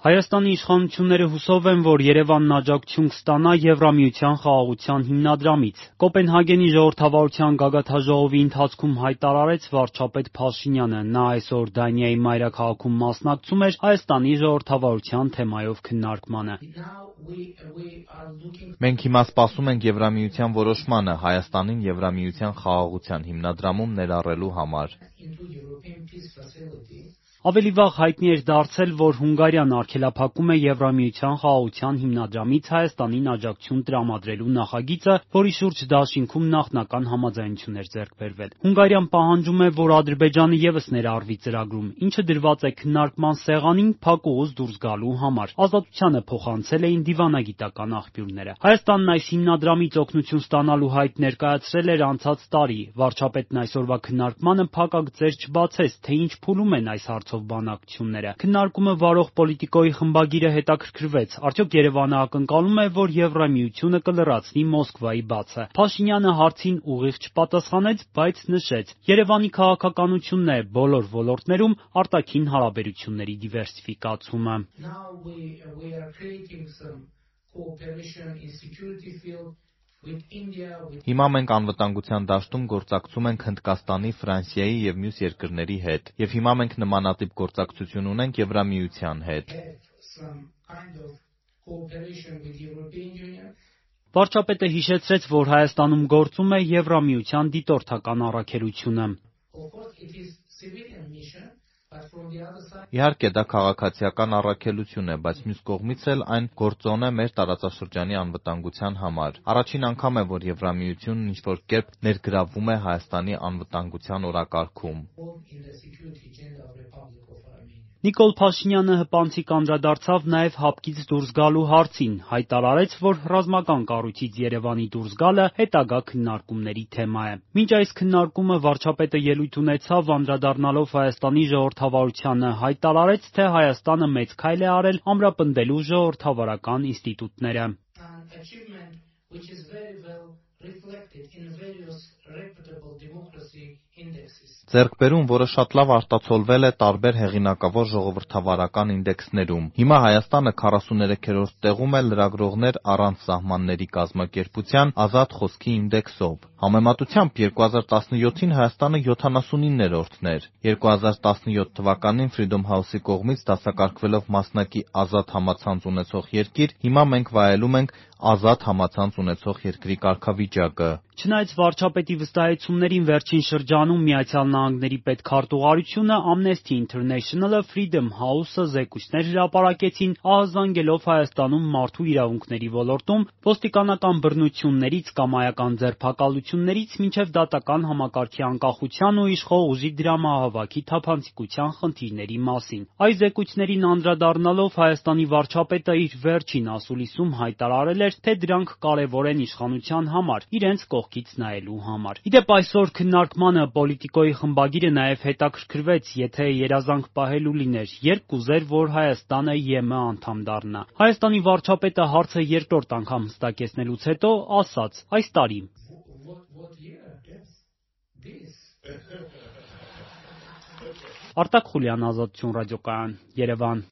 Հայաստանի իշխանությունները հուսով են, որ Երևանն աջակցություն կստանա Եվրամիության խաղաղության հիմնադրամից։ Կոպենհագենի ժողովրդավարության գագաթնաժողովի ընթացքում հայտարարեց վարչապետ Փաշինյանը։ Նա այսօր Դանիայի մայրաքաղաքում մասնակցում էր Հայաստանի ժողովրդավարության թեմայով քննարկմանը։ Մենք հիմա սպասում ենք Եվրամիության որոշմանը Հայաստանին Եվրամիության խաղաղության հիմնադրամում ներառելու համար։ Ավելի վաղ հայտնի էր դարձել, որ Հունգարիան արգելափակում է Եվրամիության խաղաղության հիմնադրամից Հայաստանին աջակցություն տրամադրելու նախագիծը, որի շուրջ դաշինքում նախնական համաձայնություն էր ձեռք բերվել։ Հունգարիան պահանջում է, որ Ադրբեջանը ևս ներառվի ծրագրում, ինչը դրված է քննարկման սեղանին փակուղուց դուրս գալու համար։ Ազատությանը փոխանցել էին դիվանագիտական աղբյուրները։ Հայաստանն այս հիմնադրամից օգնություն ստանալու հայտ ներկայացրել էր անցած տարի։ Վարչապետն այսօրվա քննարկմանը փակագծեր չբացեց, թե ինչ փուլում են այս հարցով բանակցությունները։ Քննարկումը վարող պոլիտիկոյի խմբագիրը հետաքրքրվեց, արդյոք Երևանը ակնկալում է, որ Եվրամիությունը կլրացնի Մոսկվայի բացը։ Փաշինյանը հարցին ուղիղ չպատասխանեց, բայց նշեց. Երևանի քաղաքականությունն է բոլոր ոլորտներում արտաքին հարաբերությունների դիվերսիֆիկացումը։ Հիմա մենք անվտանգության դաշտում գործակցում ենք Հնդկաստանի, Ֆրանսիայի և մյուս երկրների հետ, և հիմա մենք նմանատիպ գործակցություն ունենք Եվրամիության հետ։ Վարչապետը հիշեցրեց, որ Հայաստանում գործում է Եվրամիության դիտորդական առաքելությունը։ Իհարկե, դա քաղաքացիական առաքելություն է, բայց մյուս կողմից էլ այն գործոն է մեր տարածաշրջանի անվտանգության համար։ Առաջին անգամ է, որ Եվրամիությունն ինչ-որ կերպ ներգրավվում է Հայաստանի անվտանգության օրակարգում։ Նիկոլ Փաշինյանը հպանցիկ անդրադարձավ նաև հապկից դուրս գալու հարցին, հայտարարեց, որ ռազմական կառույցից Երևանի դուրս գալը հետագա քննարկումների թեմա է։ Մինչ այս քննարկումը վարչապետը ելույթ ունեցավ, անդրադառնալով Հայաստանի ժողովրդավարությանը, հայտարարեց, թե Հայաստանը մեծ քայլ է արել ամրապնդելու ժողովրդավարական ինստիտուտները։ Ձեռքբերում, որը շատ լավ արտացոլվել է տարբեր հեղինակավոր ժողովրդավարական ինդեքսներում։ Հիմա Հայաստանը 43-րդ տեղում է լրագրողներ առանց սահմանների կազմակերպության ազատ խոսքի ինդեքսով։ Համեմատությամբ 2017-ին Հայաստանը 79-րդն էր։ 2017 թվականին Freedom House-ի կողմից դասակարգվելով մասնակի ազատ համացանց ունեցող երկիր, հիմա մենք վայելում ենք ազատ համացանց ունեցող երկրի կարգավիճակը։ Չնայած վարչապետի վստահեցումներին, վերջին շրջանում Միացյալ Նահանգների պետքարտուղարությունը, Amnesty International-ը, Freedom House-ը զեկույցներ հրապարակեցին, ահազանգելով Հայաստանում մարդու իրավունքների ոլորտում ոստիկանական բռնություններից, կամայական ձերբակալություններից մինչև դատական համակարգի անկախության ու իշխող ուժի դրամահավաքի թափանցիկության խնդիրների մասին։ Այս զեկույցներին անդրադառնալով Հայաստանի վարչապետը իր վերջին ասուլիսում հայտարարել էր, թե դրանք կարևոր են իշխանության համար, իրենց կողքից նայելու համար։ Իդեպ այսօր քննարկմանը պոլիտիկոյի խմբագիրը նաև հետաքրքրվեց, եթե երազանք պահելու լիներ, երբ կուզեր, որ Հայաստանը ԵՄ անդամ դառնա։ Հայաստանի վարչապետը հարցը երկրորդ անգամ հստակեցնելուց հետո ասաց. այս տարի։ Արտակ Խուլյան, Ազատություն ռադիոկայան, Երևան։